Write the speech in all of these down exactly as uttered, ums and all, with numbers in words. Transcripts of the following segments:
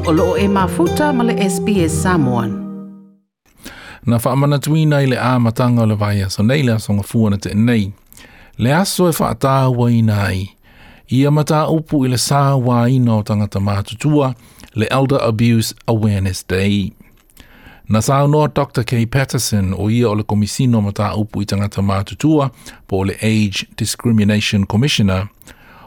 O loo e mafuta ma le S B S Samoan. Na whaamanatuina i le amatanga o le vaiaso nei le aso gafua na te nei. Le aso e whaatauaina ai. Ia mataupu i le sauaina o tangata matutua, le Elder Abuse Awareness Day. Na saunoa Doctor Kay Patterson, o ia o le komisino mataupu i tangata matutua, po o le Age Discrimination Commissioner,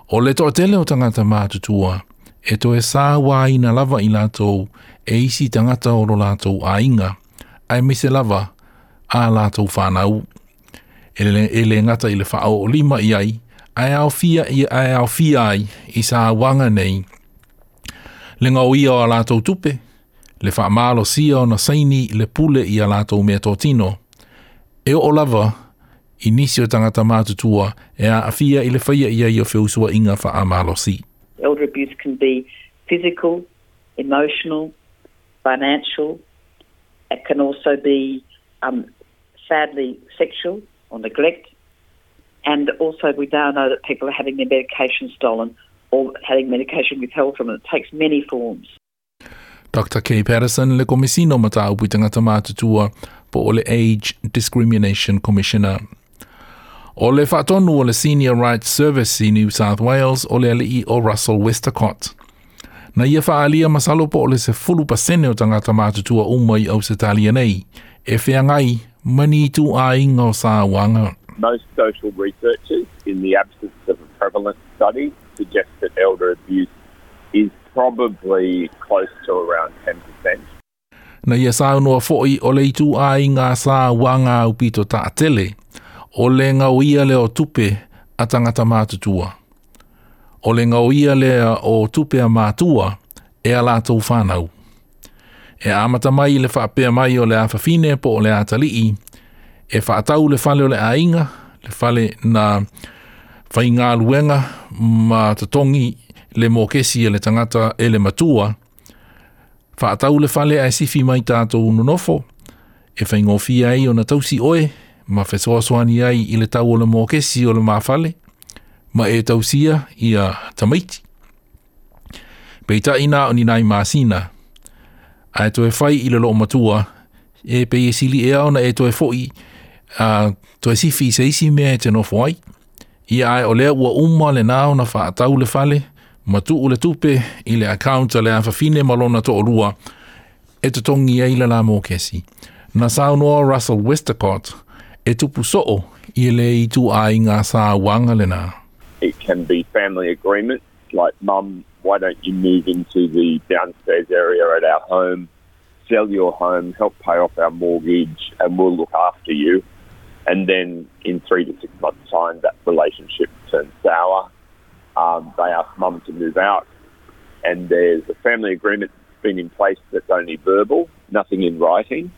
o le toatele o tangata matutua, e toe sauaina lava i latou e isi tangata o lo latou aiga, aemaise lava a latou whanau. E le, e le ngata i le whaao o lima i ai, ae aofia, i, ae aofia ai i sauaga nei, le gaoia o a latou tupe, le faamalosia ona saini le pule i a latou meatotino. E oo lava i nisi o tangata matutua e aafia i le faia i ai o feusuaiga faamalosi. Elder abuse can be physical, emotional, financial. It can also be, um, sadly, sexual or neglect. And also, we now know that people are having their medication stolen or having medication withheld from them. It takes many forms. Doctor Kay Patterson, le komisino mataupu i tangata matutua, po o le Age Discrimination Commissioner. O le faatonu o le Senior Rights Service i New South Wales o le alii o Russell Westacott. Na ia faalia masalo po o le sefulu pasene o tangata matutua uma i Ausetalia nei, e feagai ma ni ituaiga o sauaga. Most social researchers, in the absence of a prevalence study, suggest that elder abuse is probably close to around ten percent. Na ia saunoa foi o le ituaiga sauaga aupito taatele, o le gaoia lea o tupe a tangata matutua. O le gaoia lea o tupe a matua e a latou whanau. E amata mai le whaapea mai o le afafine po o le atalii, e whaatau le fale o le aiga, le fale na whaingaluenga ma totongi le mokesi e le tangata e le matua, whaatau le fale ae sifi mai tātou nonofo, e whaingofia ai o na tausi oe, ma fesoasoani ai i le tau o le mokesi o le mafale, ma e tausia ia tamaiti. Peitai na o ni nai masina, ae toe whai i le loo matua, e pe e sili e ona e toe foi, a toe sifi se isi mea e te nofo ai. Ia ae o lea ua uma le nao na whaatau le fale, ma tuu le tupe i le account a le afafine ma lona to'olua, e totongi ai le la mokesi. Na saunoa Russell Westacott e tupu soo i le ituaiga sauaga lena. It can be family agreements like, "Mum, why don't you move into the downstairs area at our home, sell your home, help pay off our mortgage, and we'll look after you." And then in three to six months' time, that relationship turns sour. Um, they ask mum to move out, and there's a family agreement that's been in place that's only verbal, nothing in writing.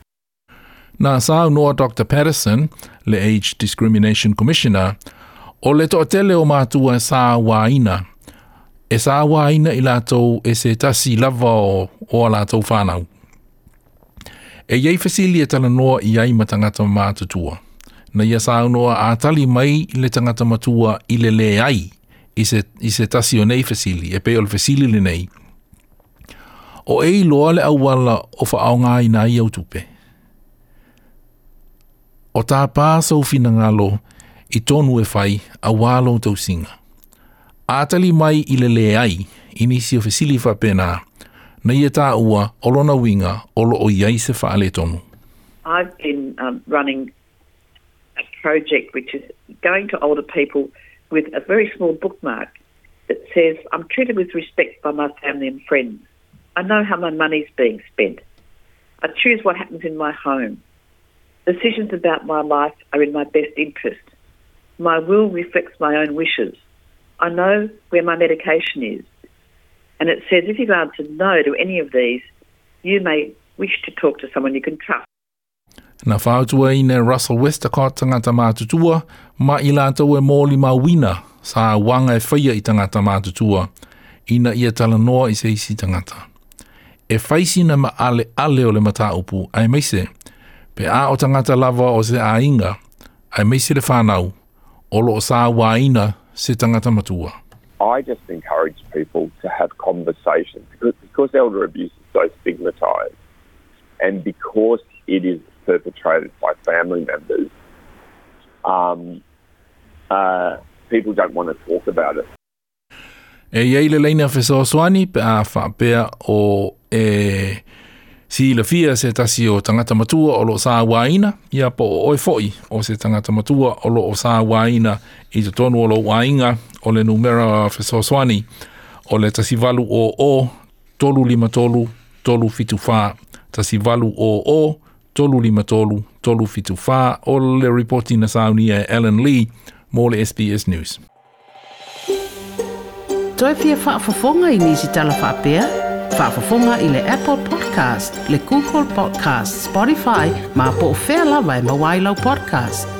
Na saunoa Doctor Patterson, le Age Discrimination Commissioner, o le toatele o matua e sauaina. E sauaina i latou e se tasi lava o, o a latou whanau. E iai fesili e talanoa i ai ma tangata matutua. Na ia saunoa a tali mai le tangata matua i le le ai i se, i se tasi o nei fesili, e pe o le fesili le nei. O e iloa le auala o whaaonga i au tupe. O tā pāsau finangalo i tonu e whai a walo tausinga. A tali mai i le le ai, i nisi o fesili whapena, na ia tā ua o lona winga o lo o iai se whaale tonu. I've been um, running a project which is going to older people with a very small bookmark that says, "I'm treated with respect by my family and friends. I know how my money's being spent. I choose what happens in my home. Decisions about my life are in my best interest. My will reflects my own wishes. I know where my medication is." And it says if you've answered no to any of these, you may wish to talk to someone you can trust. Na fautuaina Russell Westacott tangata matutua ma i latou e moli mauina sauaga e faia i tangata matutua ina ia talanoa i se isi tangata. E faisina ma ale ale o le mataupu aemaise pe a o tangata lava o se aiga aemaise le whanau o lo o sauaina se tangata matua. I just encourage people to have conversations because, because elder abuse is so stigmatised and because it is perpetrated by family members, um, uh, people don't want to talk about it. E iai le laina fesoasoani pe a faapea o e silafia se tasi o tagata matua o lo o sauaina, ia po o oe fo'i o se tagata matua o lo o sauaina i totonu o lou aiga o le numera fesoasoani o le tasi valu o o tolu lima tolu tolu fitu fa tasi valu o o tolu lima tolu tolu fitu fa o le ripoti na saunia e Ellen Lee mo le S B S News. Toe fia faafofoga i nisi tala faapea? Faafofoga i le Apple Podcast, le Google Podcast, Spotify, ma po o fea lava e maua ai lau podcast.